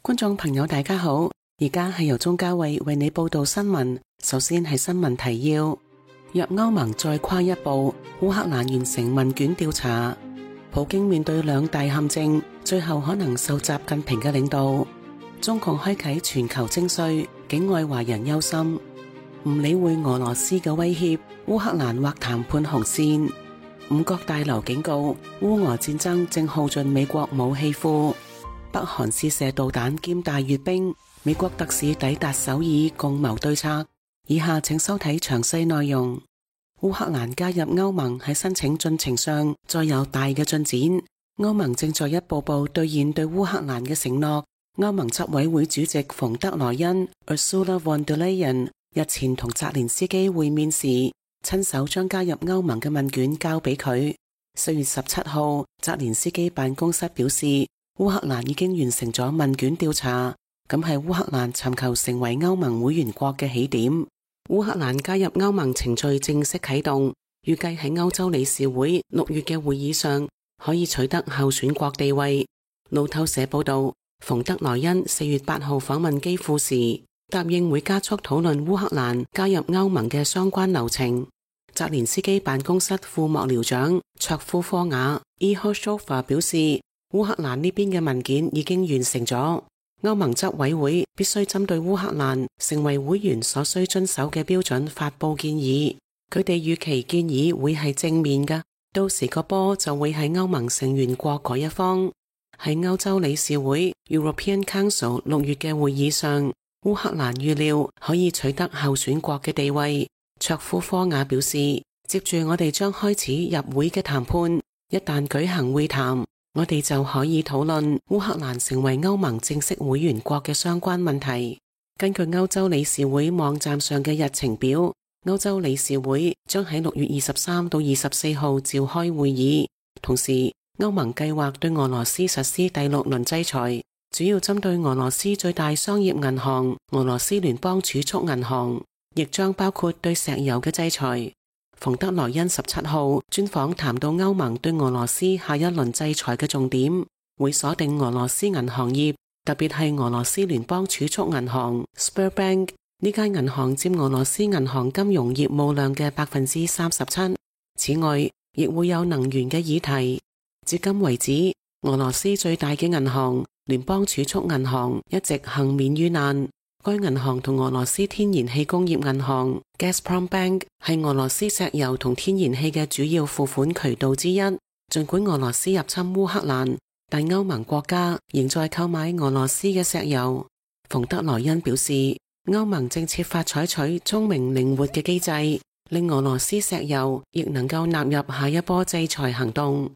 觀眾朋友大家好，而家係由鍾嘉慧為你報道新聞。首先係新聞提要：若歐盟再跨一步，烏克蘭完成問卷調查。普京面對兩大陷阱，最後可能受習近平嘅領導。中共開啟全球徵稅，境外華人憂心。唔理會俄羅斯嘅威脅，烏克蘭劃談判紅線。五角大樓警告，烏俄戰爭正耗盡美國武器庫。北韓試射導彈兼大閱兵，美國特使抵達首爾共謀對策。以下請收睇詳細內容。烏克蘭加入歐盟喺申請進程上再有大嘅進展，歐盟正在一步步兌現對烏克蘭嘅承諾。歐盟執委會主席馮德萊恩 Ursula von der Leyen 日前同澤連斯基會面時，親手將加入歐盟嘅問卷交俾佢。4月17號，澤連斯基辦公室表示，烏克蘭已經完成咗問卷調查，咁係烏克蘭尋求成為歐盟會員國嘅起點。烏克蘭加入歐盟程序正式啟動，預計喺歐洲理事會6月嘅會議上可以取得候選國地位。路透社報道，馮德萊恩4月8號訪問基輔時，答應會加速討論烏克蘭加入歐盟嘅相關流程。澤連斯基辦公室副幕僚長卓夫科瓦 Ihoshofa 表示，烏克蘭呢邊嘅文件已經完成咗，歐盟執委會必須針對烏克蘭成為會員所需遵守嘅標準發佈建議。佢哋預期建議會係正面㗎，到時個波就會喺歐盟成員國嗰一方。喺歐洲理事會 European Council 6月嘅會議上，烏克蘭預料可以取得候選國嘅地位。卓夫科瓦表示，接住我哋將開始入會嘅談判，一旦舉行會談，我哋就可以討論烏克蘭成為歐盟正式會員國嘅相關問題。根據歐洲理事會網站上嘅日程表，歐洲理事會將喺6月23到24號召開會議。同時，歐盟計劃對俄羅斯實施第6輪制裁，主要針對俄羅斯最大商業銀行俄羅斯聯邦儲蓄銀行，亦將包括對石油嘅制裁。馮德萊恩17號專訪談到歐盟對俄羅斯下一輪制裁嘅重點，會鎖定俄羅斯銀行業，特別係俄羅斯聯邦儲蓄銀行 Sberbank， 呢間銀行佔俄羅斯銀行金融業務量嘅37%。此外，亦會有能源嘅議題。至今為止，俄羅斯最大嘅銀行聯邦儲蓄銀行一直幸免於難。該銀行同俄羅斯天然氣工業銀行 Gazprom Bank 係俄羅斯石油同天然氣嘅主要付款渠道之一。盡管俄羅斯入侵烏克蘭，但歐盟國家仍在購買俄羅斯嘅石油。馮德萊恩表示，歐盟正設法採取聰明靈活嘅機制，令俄羅斯石油亦能夠納入下一波制裁行動。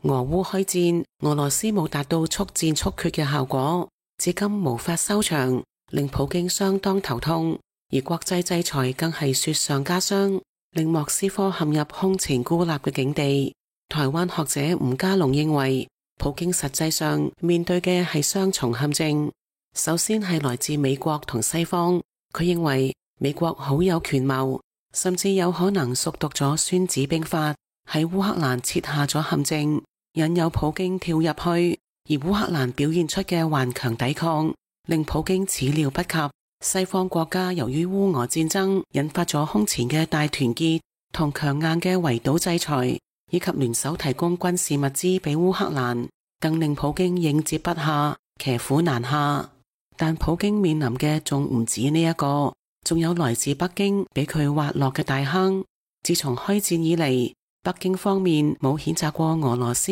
俄烏開戰，俄羅斯冇達到速戰速決嘅效果，至今無法收場，令普京相當頭痛。而國際制裁更係雪上加霜，令莫斯科陷入空前孤立嘅境地。台灣學者吳家龍認為，普京實際上面對嘅係雙重陷阱。首先係來自美國同西方，佢認為美國好有權謀，甚至有可能熟讀咗孫子兵法，喺烏克蘭設下咗陷阱，引誘普京跳入去，而烏克蘭表現出嘅頑強抵抗，令普京始料不及。西方國家由於烏俄戰爭引發咗空前嘅大團結同強硬嘅圍堵制裁，以及聯手提供軍事物資俾烏克蘭，更令普京應接不暇，騎虎難下。但普京面臨嘅仲唔止呢一個，仲有來自北京俾佢挖落嘅大坑。自從開戰以嚟，北京方面冇譴責過俄羅斯，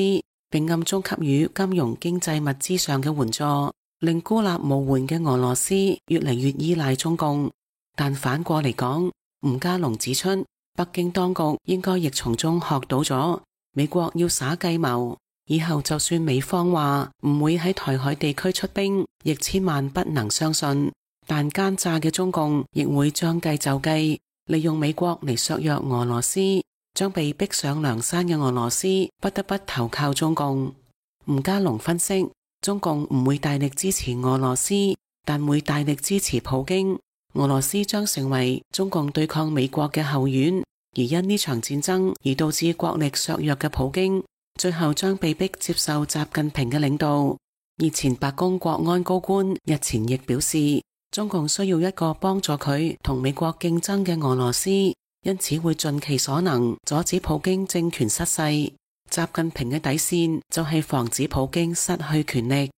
並暗中給予金融經濟物資上嘅援助，令孤立無援嘅俄羅斯越嚟越依賴中共。但反過嚟講，吳家龍指出，北京當局應該亦從中學到咗美國要耍計謀，以後就算美方話唔會喺台海地區出兵，亦千萬不能相信。但奸詐嘅中共亦會將計就計，利用美國嚟削弱俄羅斯，將被逼上梁山嘅俄羅斯不得不投靠中共。吳家龍分析，中共唔會大力支持俄羅斯，但會大力支持普京。俄羅斯將成為中共對抗美國嘅後院，而因呢場戰爭而導致國力削弱嘅普京，最後將被迫接受習近平嘅領導。而前白宮國安高官日前亦表示，中共需要一個幫助佢同美國競爭嘅俄羅斯，因此會盡其所能阻止普京政權失勢。習近平嘅底線就係防止普京失去權力。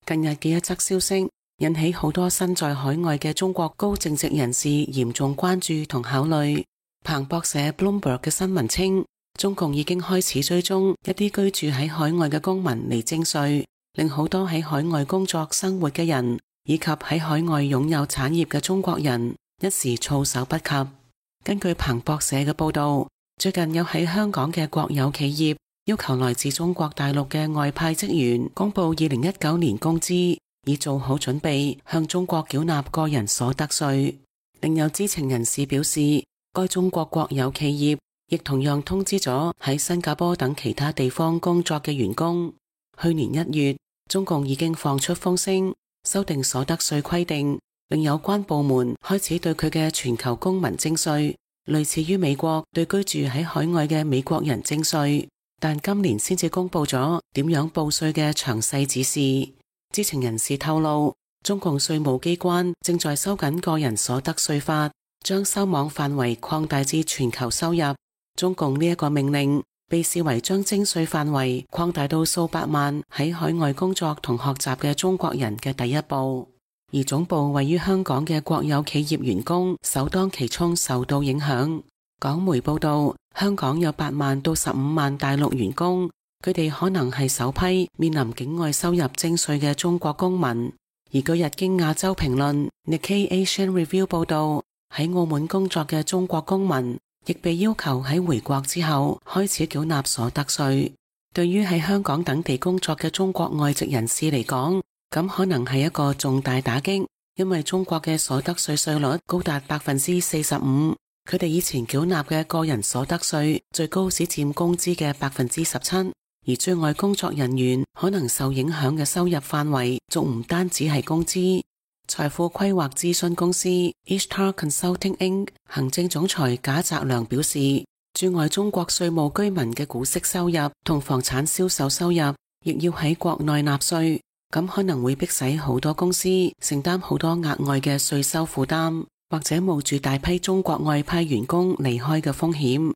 近日嘅一則消息引起好多身在海外嘅中國高淨值人士嚴重關注同考慮。彭博社 Bloomberg 嘅新聞稱，中共已經開始追蹤一啲居住喺海外嘅公民嚟徵稅，令好多喺海外工作生活嘅人以及喺海外擁有產業嘅中國人一時措手不及。根據彭博社嘅報道，最近有喺香港嘅國有企業要求來自中國大陸嘅外派職員公布2019年工資，以做好準備向中國繳納個人所得稅。另有知情人士表示，該中國國有企業亦同樣通知咗喺新加坡等其他地方工作嘅員工，去年1月，中共已經放出風聲，修訂所得稅規定，令有關部門開始對佢嘅全球公民徵稅，類似於美國對居住喺海外嘅美國人徵稅，但今年先至公布咗點樣報稅嘅詳細指示。知情人士透露，中共稅務機關正在收緊個人所得稅法，將收網範圍擴大至全球收入。中共呢一個命令被視為將徵稅範圍擴大到數百萬喺海外工作同學習嘅中國人嘅第一步。而總部位於香港嘅國有企業員工首當其衝受到影響。港媒報道，香港有8萬到15萬大陸員工，佢哋可能係首批面臨境外收入徵稅嘅中國公民。而據日經亞洲評論 Nikkei Asian Review 報道，喺澳門工作嘅中國公民亦被要求喺回國之後開始繳納所得稅。對於喺香港等地工作嘅中國外籍人士嚟講，咁可能係一個重大打擊，因為中國嘅所得稅稅率高達45%，佢哋以前繳納嘅個人所得稅最高只佔工資嘅17%，而駐外工作人員可能受影響嘅收入範圍仲唔單止係工資。財富規劃諮詢公司 Ishtar Consulting Inc. 行政總裁賈澤良表示，駐外中國稅務居民嘅股息收入同房產銷售收入亦要喺國內納稅，咁可能會迫使好多公司承擔好多額外嘅稅收負擔，或者冒住大批中國外派員工離開嘅風險。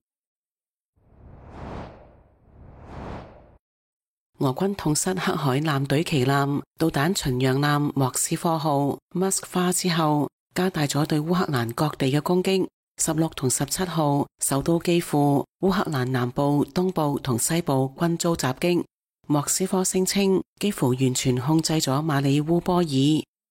俄軍痛失黑海艦隊旗艦導彈巡洋艦莫斯科號 Moskva 之後，加大咗對烏克蘭各地嘅攻擊。16同17號首都基輔、烏克蘭南部、東部同西部均遭襲擊。莫斯科聲稱幾乎完全控制咗馬里烏波爾。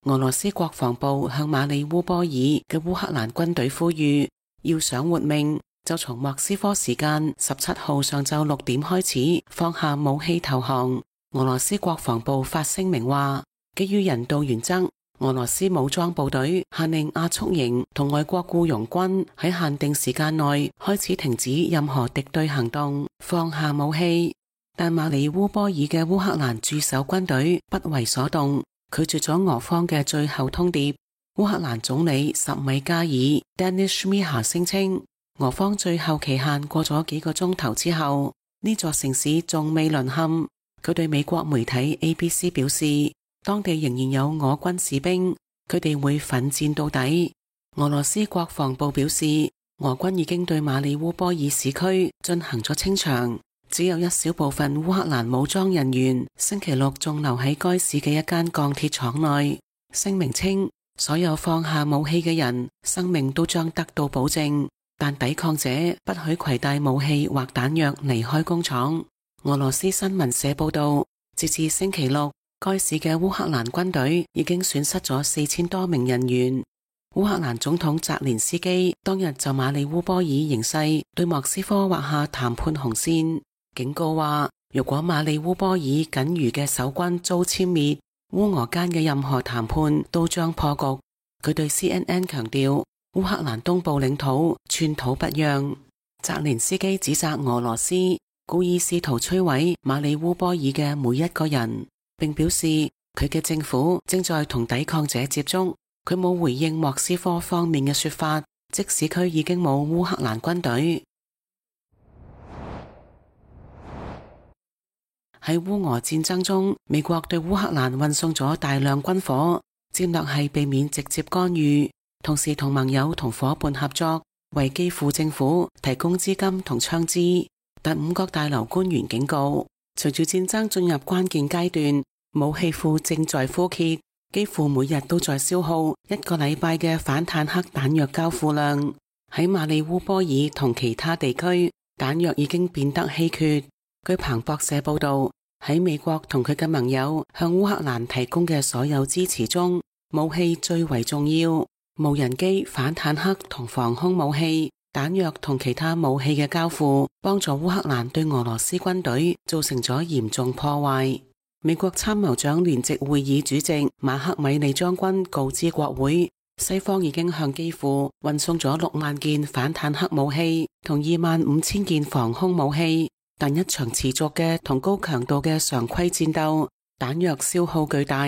俄羅斯國防部向馬里烏波爾嘅烏克蘭軍隊呼籲，要想活命，就從莫斯科時間17號上晝6點開始放下武器投降。俄羅斯國防部發聲明話，基於人道原則，俄羅斯武裝部隊下令亞速營同外國僱傭軍喺限定時間內開始停止任何敵對行動，放下武器。但馬里烏波爾嘅烏克蘭駐守軍隊不為所動，拒絕咗俄方嘅最後通牒。烏克蘭總理什米加爾 Denis Shmyhal 聲稱，俄方最後期限過咗幾個鐘頭之後，呢座城市仲未淪陷。佢對美國媒體 ABC 表示，當地仍然有俄軍士兵，佢哋會奮戰到底。俄羅斯國防部表示，俄軍已經對馬里烏波爾市區進行咗清場，只有一小部分烏克蘭武裝人員星期六仲留喺該市嘅一間鋼鐵廠內。聲明稱，所有放下武器嘅人生命都將得到保證，但抵抗者不許攜帶武器或彈藥離開工廠。俄羅斯新聞社報道，截至星期六，該市嘅烏克蘭軍隊已經損失咗4000多名人員。烏克蘭總統澤連斯基當日就馬里烏波爾形勢對莫斯科劃下談判紅線，警告話，如果馬里烏波爾僅餘嘅守軍遭殲滅，烏俄間嘅任何談判都將破局。佢對 CNN 強調，烏克蘭東部領土寸土不讓。澤連斯基指責俄羅斯故意試圖摧毀馬里烏波爾嘅每一個人，並表示佢嘅政府正在同抵抗者接觸。佢冇回應莫斯科方面嘅說法，即使佢已經冇烏克蘭軍隊。喺烏俄戰爭中，美國對烏克蘭運送咗大量軍火，戰略係避免直接干預，同時同盟友同夥伴合作，為基輔政府提供資金同槍支。但五角大樓官員警告，隨住戰爭進入關鍵階段，武器庫正在枯竭，幾乎每日都在消耗1個禮拜嘅反坦克彈藥交付量。喺馬里烏波爾同其他地區，彈藥已經變得稀缺。據彭博社報道，喺美國同佢嘅盟友向烏克蘭提供嘅所有支持中，武器最為重要。無人機、反坦克同防空武器、彈藥同其他武器嘅交付，幫助烏克蘭對俄羅斯軍隊造成咗嚴重破壞。美國參謀長聯席會議主席馬克米利將軍告知國會，西方已經向基輔運送咗6萬件反坦克武器同25000件防空武器，但一場持續嘅同高強度嘅常規戰鬥，彈藥消耗巨大，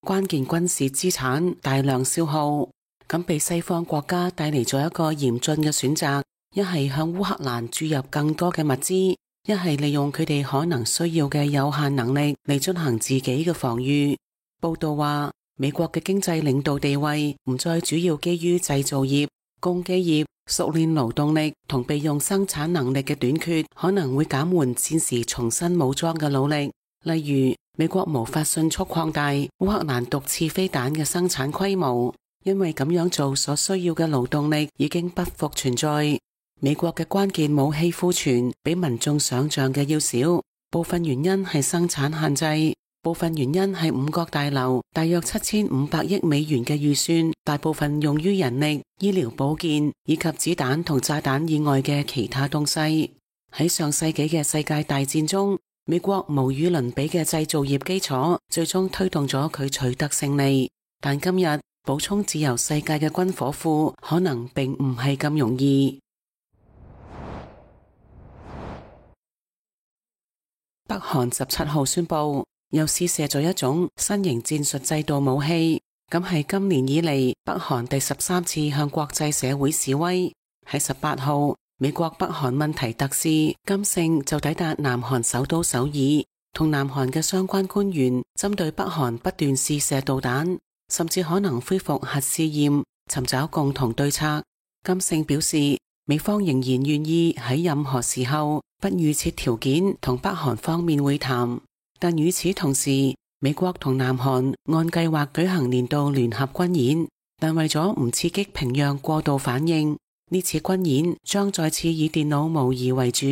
關鍵軍事資產大量消耗，咁被西方國家帶嚟咗一個嚴峻嘅選擇，一係向烏克蘭注入更多嘅物資，一係利用佢哋可能需要嘅有限能力嚟進行自己嘅防禦。報道話，美國嘅經濟領導地位唔再主要基於製造業、工機業、熟練勞動力同備用生產能力嘅短缺，可能會減緩戰時重新武裝嘅努力。例如，美國無法迅速擴大烏克蘭毒刺飛彈嘅生產規模，因為咁樣做所需要嘅勞動力已經不復存在。美國嘅關鍵武器庫存比民眾想象嘅要少，部分原因係生產限制。部分原因係五角大樓大約7500億美元嘅預算，大部分用於人力、醫療保健以及子彈同炸彈以外嘅其他東西。喺上世紀嘅世界大戰中，美國無與倫比嘅製造業基礎最終推動咗佢取得勝利。但今日補充自由世界嘅軍火庫可能並唔係咁容易。北韓17號宣布，又試射咗一種新型戰術制度武器，咁係今年以嚟北韓第13次向國際社會示威。喺18號，美國北韓問題特使金勝就抵達南韓首都首爾，同南韓嘅相關官員針對北韓不斷試射導彈，甚至可能恢復核試驗，尋找共同對策。金勝表示，美方仍然願意喺任何時候不預設條件同北韓方面會談。但與此同時，美國同南韓按計劃舉行年度聯合軍演，但為咗唔刺激平壤過度反應，呢次軍演將再次以電腦模擬為主，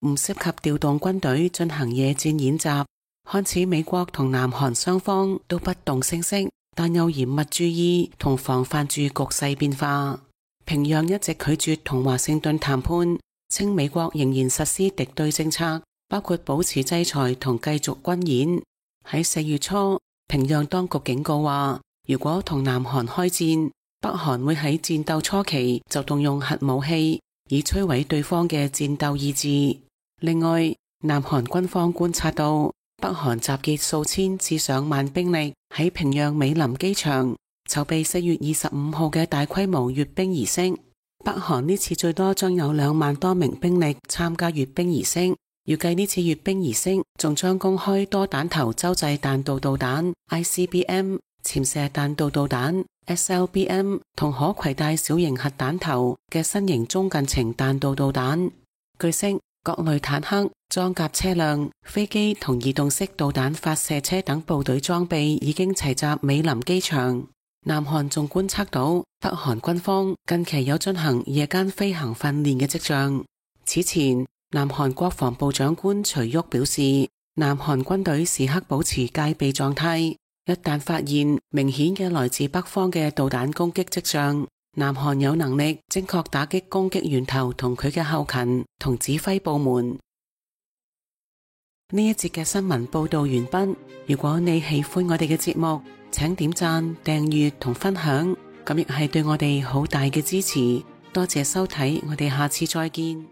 唔涉及調動軍隊進行野戰演習。看似美國同南韓雙方都不動聲色，但又嚴密注意同防範住局勢變化。平壤一直拒絕同華盛頓談判，稱美國仍然實施敵對政策，包括保持制裁同繼續軍演。喺4月初，平壤當局警告話，如果同南韓開戰，北韓會喺戰鬥初期就動用核武器，以摧毀對方嘅戰鬥意志。另外，南韓軍方觀察到，北韓集結數千至上萬兵力喺平壤美林機場，籌備4月25號嘅大規模閱兵儀式。北韓呢次最多將有2萬多名兵力參加閱兵儀式。預計呢次閱兵儀式仲將公開多彈頭洲際彈道導彈 ICBM、潛射彈道導彈 SLBM 同可攜帶小型核彈頭嘅新型中近程彈道導彈。據悉，各類坦克、裝甲車輛、飛機同移動式導彈發射車等部隊裝備已經齊集美林機場。南韓仲觀測到北韓軍方近期有進行夜間飛行訓練嘅跡象。此前，南韓國防部長官徐旭表示，南韓軍隊時刻保持戒備狀態，一旦發現明顯嘅來自北方嘅導彈攻擊跡象，南韓有能力正確打擊攻擊源頭同佢嘅後勤同指揮部門。呢一節嘅新聞報道完畢。如果你喜歡我哋嘅節目，請點讚、訂閱同分享，咁亦係對我哋好大嘅支持。多謝收睇，我哋下次再見。